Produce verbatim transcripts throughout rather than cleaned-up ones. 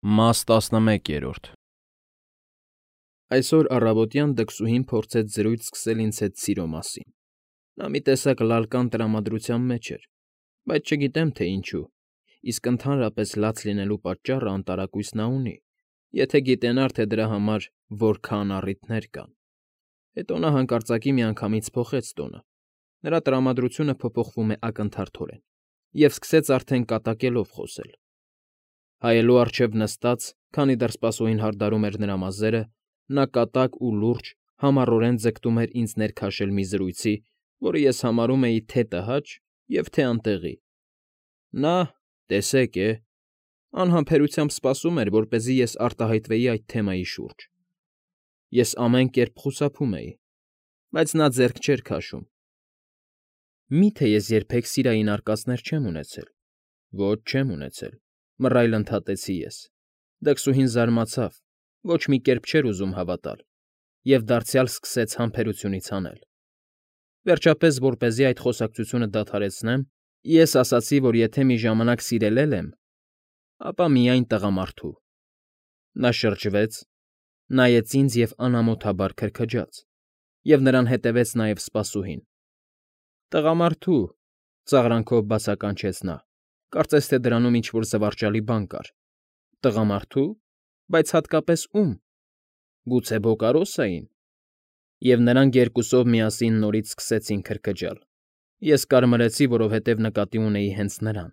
Մաս տասնմեկերորդ Այսօր առավոտյան դքսուհին փորձեց զրույց սկսել ինձ հետ սիրո մասին. նա մի տեսակ լալկան տրամադրության մեջ էր, բայց չգիտեմ, թե ինչու, իսկ ընդհանրապես լաց լինելու պատճառը անտարակույս նա ունի, եթե գիտենար, թե դրա համար որքան առիթներ կան։ Հետո նա հանկարծակի միանգամից փոխեց տոնը, նրա տրամադրությունը փոփոխվում է ակնթարթորեն, և սկսեց արդեն կատակելով խոսել։ Հայելու առջև նստած, քանի դեռ սպասուհին հարդարում էր նրա մազերը, նա կատակ ու լուրջ, համառորեն ձգտում էր ինձ ներքաշել մի զրույցի, որը ես համարում էի թե՛ տհաճ և թե՛ անտեղի։ Նա, տեսեք է, անհամբերությամբ սպասում էր, որպեսզի ես արտահայտվեի այդ թեմայի շուրջ։ Ես ամեն կերպ խուսափում էի, բայց նա ձեռք չէր քաշում։ Մի՞թե ես երբեք սիրային արկածներ չեմ ունեցել։ Ոչ, չեմ ունեցել, մռայլ ընդհատեցի ես։ Դքսուհին զարմացավ, ոչ մի կերպ չէր ուզում հավատալ, և դարձյալ սկսեց համբերությունից հանել։ Վերջապես, որպեսզի այդ խոսակցությունը դադարեցնեմ, ես ասացի, որ եթե մի ժամանակ սիրել էլ եմ, ապա միայն տղամարդու։ Նա շրջվեց, նայեց ինձ և անամոթաբար քրքջաց, և նրան հետևեց նաև սպասուհին։ Տղամարդու, ծաղրանքով բացականչեց նա, կարծես թե դրանում ինչ֊որ զվարճալի բան կար։ Տղամարդու՞, բայց հատկապես ո՞ւմ։ Գուցե Բոկարոսայի՞ն։ Եվ նրանք երկուսով միասին նորից սկսեցին քրքջալ։ Ես կարմրեցի, որովհետև նկատի ունեի հենց նրան։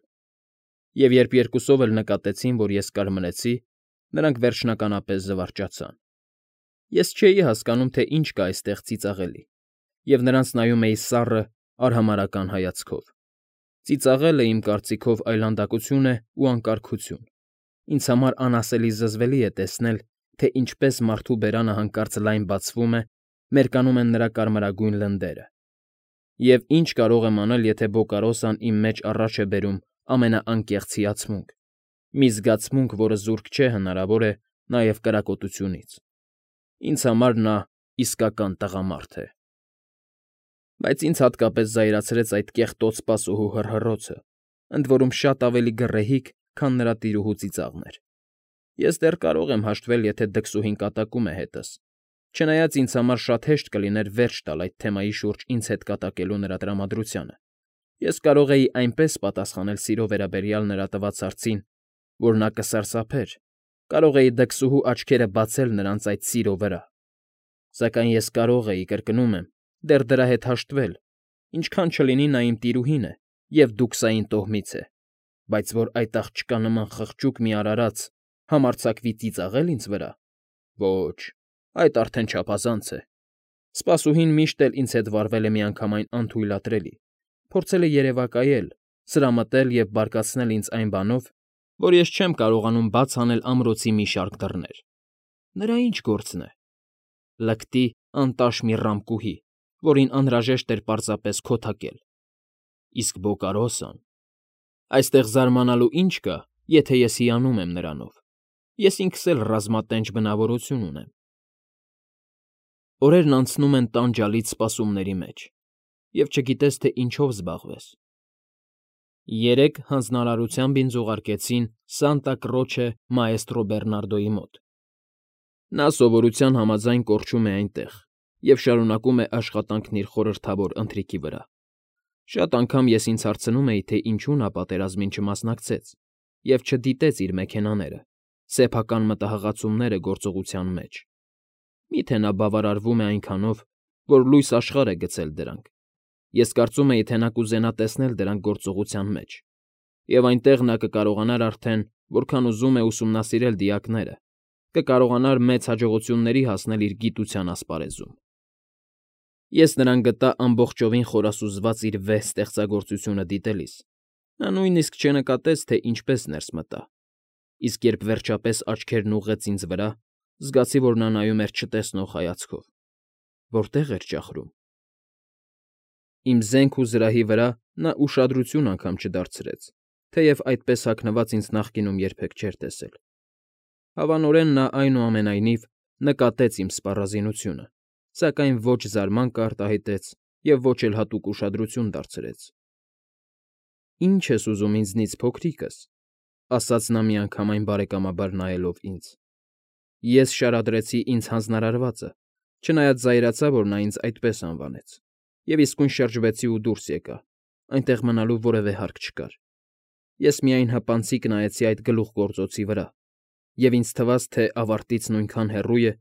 Եվ երբ երկուսով էլ նկատեցին, որ ես կարմրեցի, նրանք վերջնականապես զվարճացան։ Ես չէի հասկանում, թե ինչ կա այստեղ ծիծաղելի, և նրանց նայում էի սառը, արհամարհական հայացքով։ Ծիծաղելը, իմ կարծիքով, այլանդակություն է ու անկարգություն։ Ինձ համար անասելի զզվելի է տեսնել, թե ինչպես մարդու բերանը հանկարծ լայն բացվում է, մերկանում են նրա կարմրագույն լնդերը։ Եվ ինչ կարող եմ անել, եթե Բոկարոսան իմ մեջ առաջ է բերում ամենաանկեղծ հիացմունք, մի զգացմունք, որը զուրկ չէ, հնարավոր է, նաև կրակոտությունից։ Ինձ համար նա իսկական տղամարդ է։ Բայց ինձ հատկապես զայրացրեց այդ կեղտոտ սպասուհու հռհռոցը, ընդ որում շատ ավելի գռեհիկ, քան նրա տիրուհու ծիծաղն էր։ Ես դեռ կարող եմ հաշտվել, եթե դքսուհին կատակում է հետս, չնայած ինձ համար շատ հեշտ կլիներ վերջ տալ այդ թեմայի շուրջ ինձ հետ կատակելու նրա տրամադրությանը։ Ես կարող էի այնպես պատասխանել սիրո վերաբերյալ նրա տված հարցին, որ նա կսարսափեր, կարող էի դքսուհու աչքերը բացել նրանց այդ սիրո վրա։ Սակայն ես կարող էի, կրկնում եմ, դեռ դրա հետ հաշտվել, ինչքան չլինի նա իմ տիրուհին է և դուքսային տոհմից է, բայց որ այդ աղջկա նման խղճուկ մի արարած համարձակվի ծիծաղել ինձ վրա… Ոչ, այդ արդեն չափազանց է։ Սպասուհին միշտ էլ ինձ հետ վարվել է միանգամայն անթույլատրելի, փորձել է երևակայել, սրամտել և բարկացնել ինձ այն բանով, որ ես չեմ կարողանում բաց անել ամրոցի մի շարք դռներ։ Նրա ի՞նչ գործն է… Լկտի անտաշ մի ռամկուհի, որին անհրաժեշտ էր պարզապես քոթակել։ Իսկ Բոկարոսան… Այստեղ զարմանալու ի՞նչ կա, եթե ես հիանում եմ նրանով։ Ես ինքս էլ ռազմատենչ բնավորություն ունեմ։ Օրերն անցնում են տանջալից սպասումների մեջ, և չգիտես, թե ինչով զբաղվես։ Երեկ հանձնարարությամբ ինձ ուղարկեցին Սանտա Կրոչե մաեստրո Բեռնարդոյի մոտ։ Նա սովորության համաձայն կորչում է այնտեղ և շարունակում է աշխատանքն իր խորհրդավոր ընթրիքի վրա։ Շատ անգամ ես ինձ հարցնում էի, թե ինչու նա պատերազմին չմասնակցեց և չդիտեց իր մեքենաները, սեփական մտահղացումները գործողության մեջ։ Մի՞թե նա բավարարվում է այնքանով, որ լույս աշխարհ է գցել դրանք։ Ես կարծում էի, թե նա կուզենա տեսնել դրանք գործողության մեջ, և այնտեղ նա կկարողանար արդեն, որքան ուզում է ուսումնասիրել դիակները, կկարողանար մեծ հաջողությունների հասնել իր գիտության ասպարեզում։ Ես նրան գտա ամբողջովին խորասուզված իր վեհ ստեղծագործությունը դիտելիս։ Նա նույնիսկ չնկատեց, թե ինչպես ներս մտա, իսկ երբ վերջապես աչքերն ուղղեց ինձ վրա, զգացի, որ նա նայում էր չտեսնող հայացքով։ Որտե՞ղ էր ճախրում։ Իմ զենք ու զրահի վրա նա ուշադրություն անգամ չդարձրեց, թեև այդպես հագնված ինձ նախկինում երբեք չէր տեսել։ Հավանորեն նա, այնուամենայնիվ, նկատեց իմ սպառազինությունը, սակայն ոչ զարմանք արտահայտեց և ոչ էլ հատուկ ուշադրություն դարձրեց։ Ի՞նչ ես ուզում ինձնից, փոքրիկս։ ասաց նա միանգամայն բարեկամաբար նայելով ինձ։ Ես շարադրեցի ինձ հանձնարարվածը, չնայած զայրացա, որ նա ինձ այդպես անվանեց, և իսկույն շրջվեցի ու դուրս եկա, այնտեղ մնալու որևէ հարկ չկար։ Ես միայն հպանցիկ նայեցի այդ գլուխգործոցի վրա, և ինձ թվաց, թե ավարտից նույնքան հեռու է,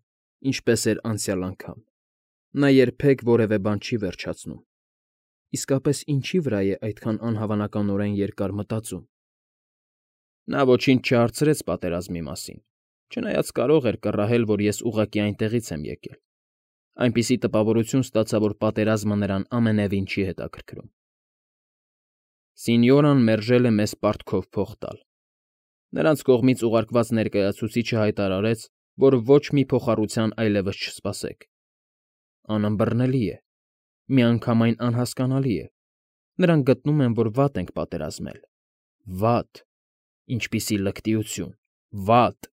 ինչպես էր անցյալ անգամ։ Նա երբեք որևէ բան չի վերջացնում։ Իսկապես ինչի վրա է այդքան անհավանականորեն երկար մտածում։ Նա ոչինչ չհարցրեց պատերազմի մասին, չնայած կարող էր կռահել, որ ես ուղղակի այնտեղից եմ եկել։ Այնպիսի տպավորություն ստացա, որ պատերազմը նրան ամենևին չի հետաքրքրում։ Սինյորան մերժել է մեզ պարտքով փող տալ։ Նրանց կողմից ուղարկված ներկայացուցիչը հայտարարեց, որ ոչ մի փոխառության այլևս չսպասեք։ Անըմբռնելի է, միանգամայն անհասկանալի է։ Նրանք գտնում են, որ վատ ենք պատերազմել։ Վատ։ Ինչպիսի լկտիություն։ Վատ։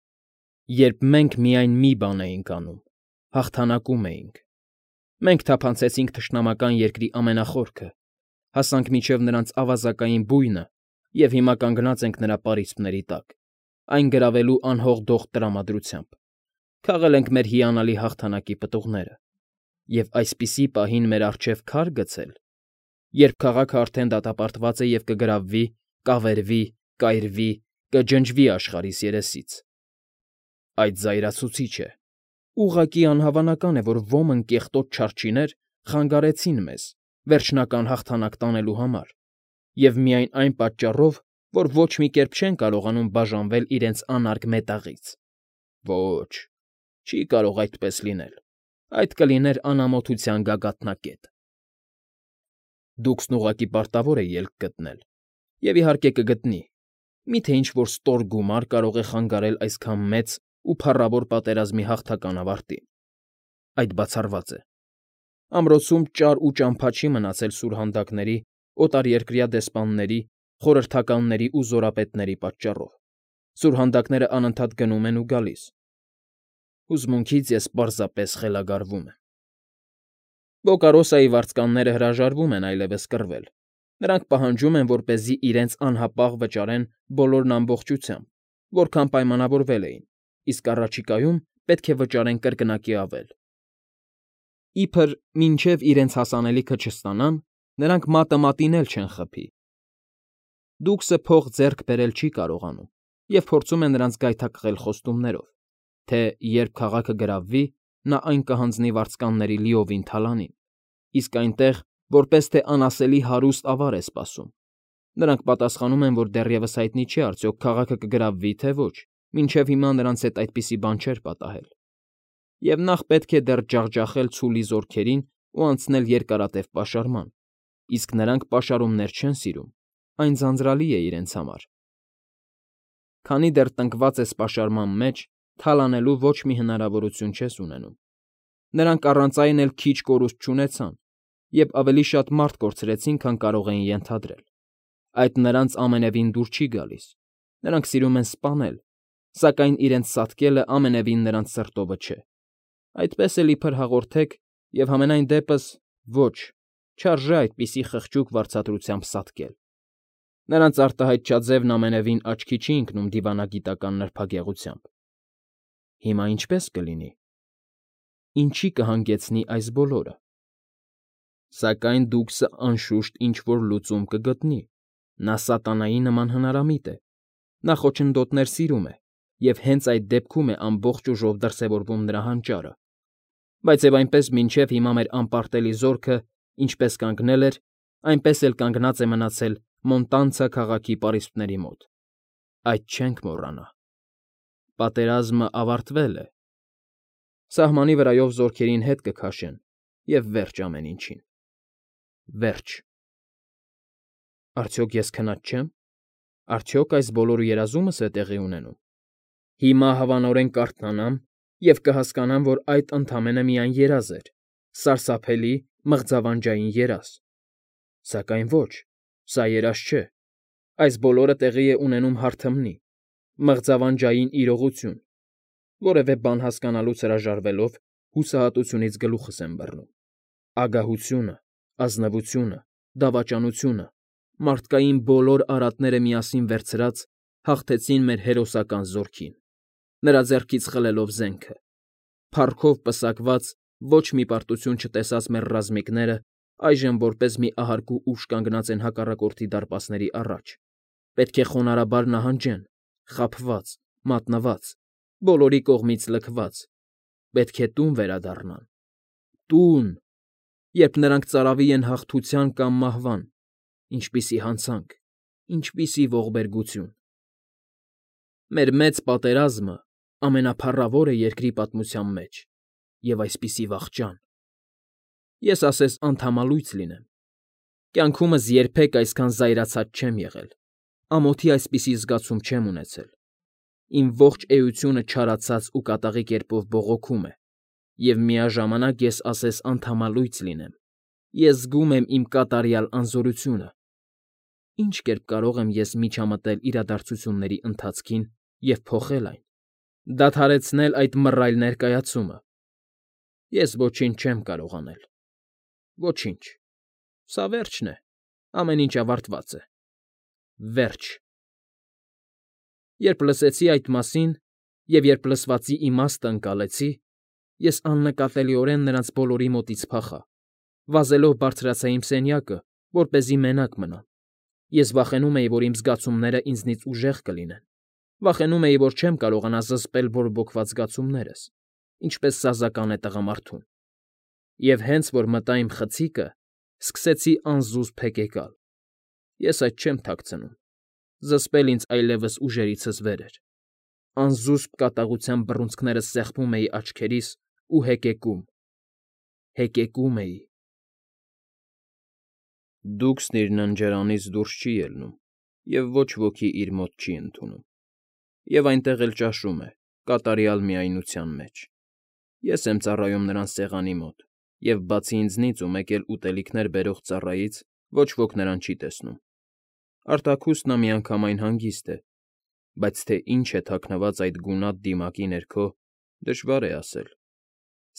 Երբ մենք միայն մի բան էինք անում՝ հաղթանակում էինք։ Մենք թափանցեցինք թշնամական երկրի ամենախորքը, հասանք մինչև նրանց ավազակային բույնը և հիմա կանգնած ենք նրա պարիսպների տակ, այն գրավելու անհողդող տրամադրությամբ։ Քաղել ենք մեր հիանալի հաղթանակի պտուղները և այսպիսի պահին մեր առջև քար գցել, երբ քաղաքը արդեն դատապարտված է և կգրավվի, կավերվի, կայրվի, կջնջվի աշխարհիս երեսից։ Այդ զայրացուցիչ է։ Ուղղակի անհավանական է, որ ոմն կեղտոտ չարչիներ խանգարեցին մեզ վերջնական հաղթանակ տանելու համար, և միայն այն պատճառով, որ ոչ մի կերպ չեն կարողանում բաժանվել իրենց անարգ մետաղից։ Ոչ, չի կարող այդպես լինել, այդ կլիներ անամոթության գագաթնակետ։ Դուքսն ուղղակի պարտավոր է ելք գտնել, և, իհարկե, կգտնի, մի՞թե ինչ֊որ ստոր գումար կարող է խանգարել այսքան մեծ ու փառավոր պատերազմի հաղթական ավարտին։ Այդ բացառված է։ Ամրոցում ճար ու ճամփա չի մնացել սուրհանդակների, օտարերկրյա դեսպանների, խորհրդականների ու զորապետների պատճառով։ Սուրհանդակները անընդհատ գնում են ու գալիս։ Հուզմունքից ես պարզապես խելագարվում եմ։ Բոկարոսայի վարձկանները հրաժարվում են այլևս կռվել։ Նրանք պահանջում են, որպեսզի իրենց անհապաղ վճարեն բոլորն ամբողջությամբ, որքան պայմանավորվել էին, իսկ առաջիկայում պետք է վճարեն կրկնակի ավել։ Իբր մինչև իրենց հասանելիքը չստանան, նրանք մատը մատին էլ չեն խփի։ Դուքսը փող ձեռք բերել չի կարողանում և փորձում է նրանց գայթակղել խոստումներով, թե երբ քաղաքը գրավվի, նա այն կհանձնի վարձկանների լիովին թալանին, իսկ այնտեղ որպես թե անասելի հարուստ ավար է սպասում։ Նրանք պատասխանում են, որ դեռևս հայտնի չէ արդյոք քաղաքը կգրավվի, թե ոչ, մինչև հիմա նրանց հետ այդպիսի բան չէր պատահել։ Եվ նախ պետք է դեռ ջախջախել ցուլի զորքերին ու անցնել երկարատև պաշարման, իսկ նրանք պաշարումներ չեն սիրում, այն ձանձրալի է իրենց համար։ Քանի դեռ տնկված ես պաշարման մեջ, թալանելու ոչ մի հնարավորություն չես ունենում։ Նրանք առանց այն էլ քիչ կորուստ չունեցան և ավելի շատ մարդ կորցրեցին, քան կարող էին ենթադրել։ Այդ նրանց ամենևին դուր չի գալիս։ Նրանք սիրում են սպանել, սակայն իրենց սատկելը ամենևին նրանց սրտովը չէ։ Այդպես էլ իբր հաղորդեք, և համենայն դեպս ոչ, չարժե այդպիսի խղճուկ վարձատրությամբ սատկել։ Նրանց արտահայտչաձևն ամենևին աչքի չի ընկնում դիվանագիտական նրբագեղությամբ։ Հիմա ինչպե՞ս կլինի։ Ինչի կհանգեցնի այս բոլորը։ Սակայն դուքսը, անշուշտ, ինչ֊որ լուծում կգտնի։ Նա սատանայի նման հնարամիտ է։ Նա խոչընդոտներ սիրում է, և հենց այդ դեպքում է ամբողջ ուժով դրսևորվում նրա հանճարը։ Բայց և այնպես մինչև հիմա մեր անպարտելի զորքը ինչպես կանգնել էր, այնպես էլ կանգնած է մնացել Մոնտանցա քաղաքի պարիսպների մոտ։ Այդ չենք մոռանա։ Պատերազմը ավարտվել է։ Սահմանի վրայով զորքերին հետ կքաշեն, և վերջ ամեն ինչին։ Վերջ։ Արդյոք ես քնած չե՞մ։ Արդյոք այս բոլոր երազումս է տեղի ունենում։ Հիմա հավանորեն կարթնանամ և կհասկանամ, որ այդ ընդամենը միայն երազ էր, սարսափելի, մղձավանջային երազ։ Սակայն ոչ, սա երազ չէ։ Այս բոլորը տեղի է ունենում հարթմնի, մղձավանջային իրողություն։ Որևէ բան հասկանալուց հրաժարվելով հուսահատությունից գլուխս եմ բռնում։ Ագահությունը, ազնվությունը, դավաճանությունը, մարդկային բոլոր արատները միասին վերցրած հաղթեցին մեր հերոսական զորքին, նրա ձեռքից խլելով զենքը, փառքով պսակված, ոչ մի պարտություն չտեսած մեր ռազմիկները այժմ որպես մի ահարկու ուժ կանգնած են հակառակորդի դարպասների առաջ, պետք է խոնարհաբար նահանջեն, խաբված, մատնված, բոլորի կողմից լքված, պետք է տուն վերադառնան, տուն, երբ նրանք ծարավի են հաղթության կամ մահվան, ինչպիսի հանցանք, ինչպիսի ողբերգություն։ Մեր մեծ պատերազմը ամենափառավորը երկրի պատմության մեջ, և այսպիսի վախճան։ Ես ասես անդամալույց լինեմ։ Կյանքումս երբեք այսքան զայրացած չեմ եղել, ամոթի այսպիսի զգացում չեմ ունեցել։ Իմ ողջ էությունը չարացած ու կատաղի կերպով բողոքում է, և միաժամանակ ես ասես անդամալույց լինեմ։ Ես զգում եմ իմ կատարյալ անզորությունը։ Ինչ կերպ կարող եմ ես միջամտել իրադարձությունների ընթացքին և փոխել այն, դադարեցնել այդ մռայլ ներկայացումը։ Ես ոչինչ չեմ կարող անել։ Ոչինչ։ Սա վերջն է, ամեն ինչ ավարտված է։ Վերջ։ Երբ լսեցի այդ մասին և երբ լսվածի իմաստը ընկալեցի, ես աննկատելիորեն նրանց բոլորի մոտից փախա, վազելով բարձրացա իմ սենյակը, որպեսզի մենակ մնամ։ Ես վախենում էի, որ իմ զգացումները ինձնից ուժեղ կլինեն, վախենում էի, որ չեմ կարողանա զսպել բորբոքված զգացումներս, ինչպես սազական է տղամարդուն։ Եվ հենց որ մտա իմ խցիկը, սկսեցի անզուսպ հեկեկալ։ Ես այդ չեմ թաքցնում, զսպել ինձ այլևս ուժերիցս վեր էր։ Անզուսպ կատաղությամբ բռունցքներս սեղմում էի աչքերիս ու հեկեկում, հեկեկում էի։ Դուքսն իր ննջարանից դուրս չի ելնում, և ոչ ոքի իր մոտ չի ընդունում, և այնտեղ էլ ճաշում է, կատարյալ միայնության մեջ։ Ես եմ ծառայում նրան սեղանի մոտ, և բացի ինձնից ու մեկ էլ ուտելիքներ բերող ծառայից ոչ ոք նրան չի տեսնում։ Արտաքուստ նա միանգամայն հանգիստ է, բայց թե ինչ է թաքնված այդ գունատ դիմակի ներքո, դժվար է ասել։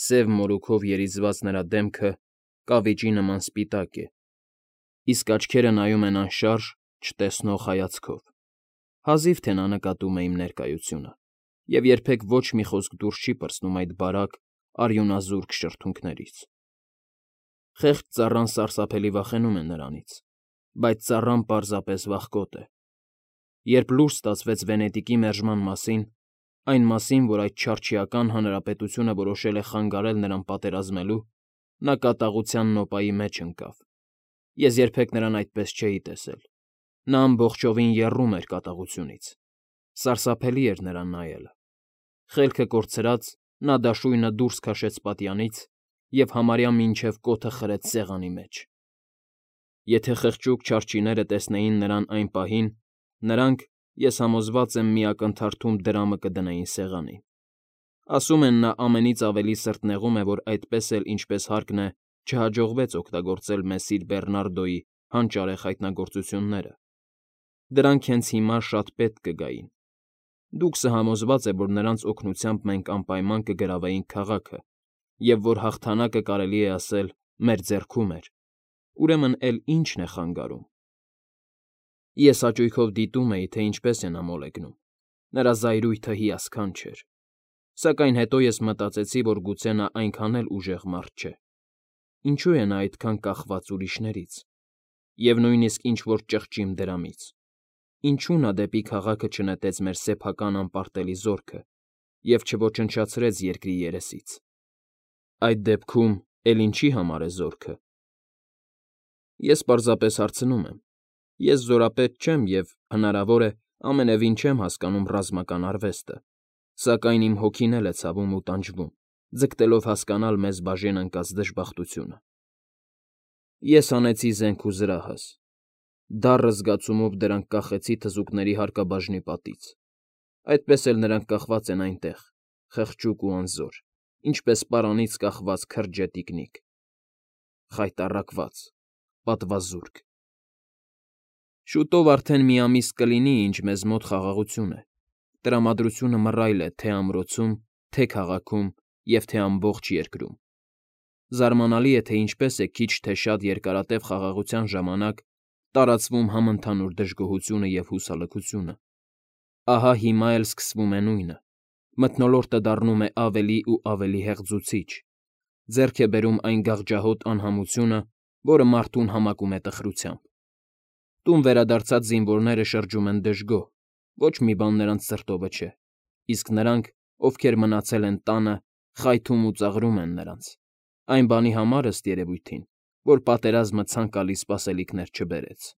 Սև մորուքով երիզված նրա դեմքը կավիճի նման սպիտակ է, իսկ աչքերը նայում են անշարժ, չտեսնող հայացքով։ Հազիվ թե նա նկատում է իմ ներկայությունը, և երբեք ոչ մի խոսք դուրս չի պրծնում այդ բարակ, արյունազուրկ շրթունքներից։ Խեղճ ծառան սարսափելի վախենում է նրանից, բայց ծառան պարզապես վախկոտ է։ Երբ լուր ստացվեց Վենետիկի մերժման մասին, այն մասին, որ այդ չարչիական հանրապետությունը որոշել է խանգարել նրան պատերազմելու, նա կատաղության նոպայի մեջ ընկավ։ Ես երբեք նրան այդպես չէի տեսել։ Նա ամբողջովին եռում էր կատաղությունից։ Սարսափելի էր նրան նայելը։ Խելքը կորցրած՝ նա դաշույնը դուրս քաշեց պատյանից և համարյա մինչև կոթը խրեց սեղանի մեջ։ Եթե խղճուկ չարչիները տեսնեին նրան այն պահին, նրանք, ես համոզված եմ, մի ակնթարթում դրամը կդնեին սեղանին։ Ասում են, նա ամենից ավելի սրտնեղում է, որ այդպես էլ, ինչպես հարկն է, չհաջողվեց օգտագործել Մեսիր Բեռնարդոյի հանճարեղ հայտնագործությունները։ Դրանք հենց հիմա շատ պետք կգային։ Դուքսը համոզված է, որ նրանց օգնությամբ մենք անպայման կգրավեինք քաղաքը, և որ հաղթանակը, կարելի է ասել, մեր ձեռքում էր, ուրեմն էլ ի՞նչն է խանգարում։ Ես հաճույքով դիտում էի, թե ինչպես է նա մոլեգնում։ Նրա զայրույթը հիասքանչ էր։ Սակայն հետո ես մտածեցի, որ գուցե նա այնքան էլ ուժեղ մարդ չէ։ Ինչու է նա այդքան կախված ուրիշներից, և նույնիսկ ինչ֊որ ճղճիմ դրամից։ Ինչու նա դեպի քաղաքը չնետեց մեր սեփական անպարտելի զորքը և չոչնչացրեց երկրի երեսից։ Այդ դեպքում էլ ինչի համար է զորքը։ Ես պարզապես հարցնում եմ։ Ես զորապետ չեմ և, հնարավոր է, ամենևին չեմ հասկանում ռազմական արվեստը, սակայն իմ հոգին էլ է ցավում ու տանջվում, ձգտելով հասկանալ մեզ բաժին ընկած դժբախտությունը։ Ես հանեցի զենք ու զրահս։ Դառը զգացումով դրանք կախեցի թզուկների հարկաբաժնի պատից։ Այդպես էլ նրանք կախված են այնտեղ, խղճուկ ու անզոր, ինչպես պարանից կախված քրջե տիկնիկ։ Խայտառակված, պատվազուրկ։ Շուտով արդեն մի ամիս կլինի, ինչ մեզ մոտ խաղաղություն է։ Տրամադրությունը մռայլ է թե՛ ամրոցում, թե՛ քաղաքում և թե ամբողջ երկրում։ Զարմանալի է, թե ինչպես է քիչ թե շատ երկարատև խաղաղության ժամանակ տարածվում համընդհանուր դժգոհությունը և հուսալքությունը։ Ահա հիմա էլ սկսվում է նույնը. մթնոլորտը դառնում է ավելի ու ավելի հեղձուցիչ, ձեռք է բերում այն գաղջահոտ անհամությունը, որը մարդուն համակում է տխրությամբ։ Տուն վերադարձած զինվորները շրջում են դժգոհ, ոչ մի բան նրանց սրտովը չէ, իսկ նրանք, ովքեր մնացել են տանը, խայթում ու ծաղրում են նրանց, այն բանի համար, ըստ երևույթին, որ պատերազմը ցանկալի սպասելիքներ չբերեց։